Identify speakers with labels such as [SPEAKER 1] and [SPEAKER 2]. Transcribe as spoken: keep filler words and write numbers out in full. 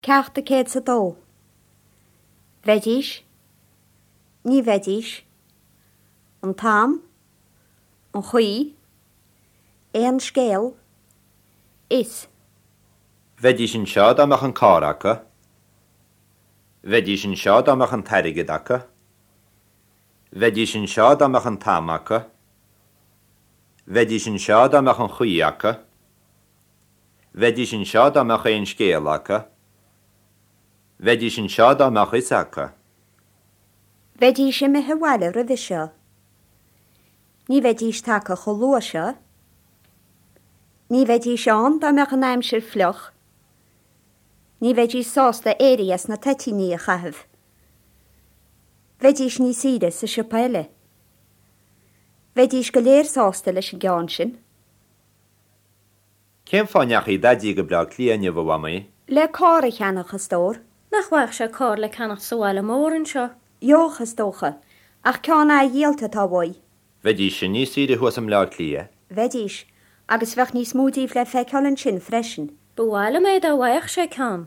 [SPEAKER 1] Ceacht a céad is a dó. Bheidís, ní bheidís, an t-am, an chaoi, aon scéal, is.
[SPEAKER 2] Bheidís anseo dá mbeadh an carr acu. Bheidís anseo dá mbeadh an t-airgead acu. Bheidís anseo dá mbeadh an t-am acu. Bheidís anseo dá mbeadh an chaoi acu. Bheidís anseo dá mbeadh aon scéal acu. Bheidís anseo dá mbeadh fhios acu.
[SPEAKER 1] Bheidís imithe abhaile roimhe seo. Ní bheidís tagtha chomh luath seo. Ní bheidís ann dá mbeadh an aimsir fliuch. Ní bheidís sásta éirí as na toitíní a chaitheamh. Bheidís níos saoire sa siopa eile. Bheidís go léir sásta leis an gceann sin.
[SPEAKER 2] Cén fáth a ndeachaigh Daidí go Bleá Cliath inniu a Mhamaí?
[SPEAKER 1] Le carr a cheannach a stór.
[SPEAKER 3] Nach bhfaigheadh sé carr le ceannach sa bhaile mór anseo.
[SPEAKER 1] Gheobhadh is dócha, ach ceann athdhíolta atá uaidh.
[SPEAKER 2] Bheidís sin níos saoire thuas i mBleá Cliath.
[SPEAKER 1] Bheidís, agus bheadh níos mó díobh le feiceáil ansin freisin.
[SPEAKER 3] Ba mhaith liom é dá bhfaigheadh sé ceann.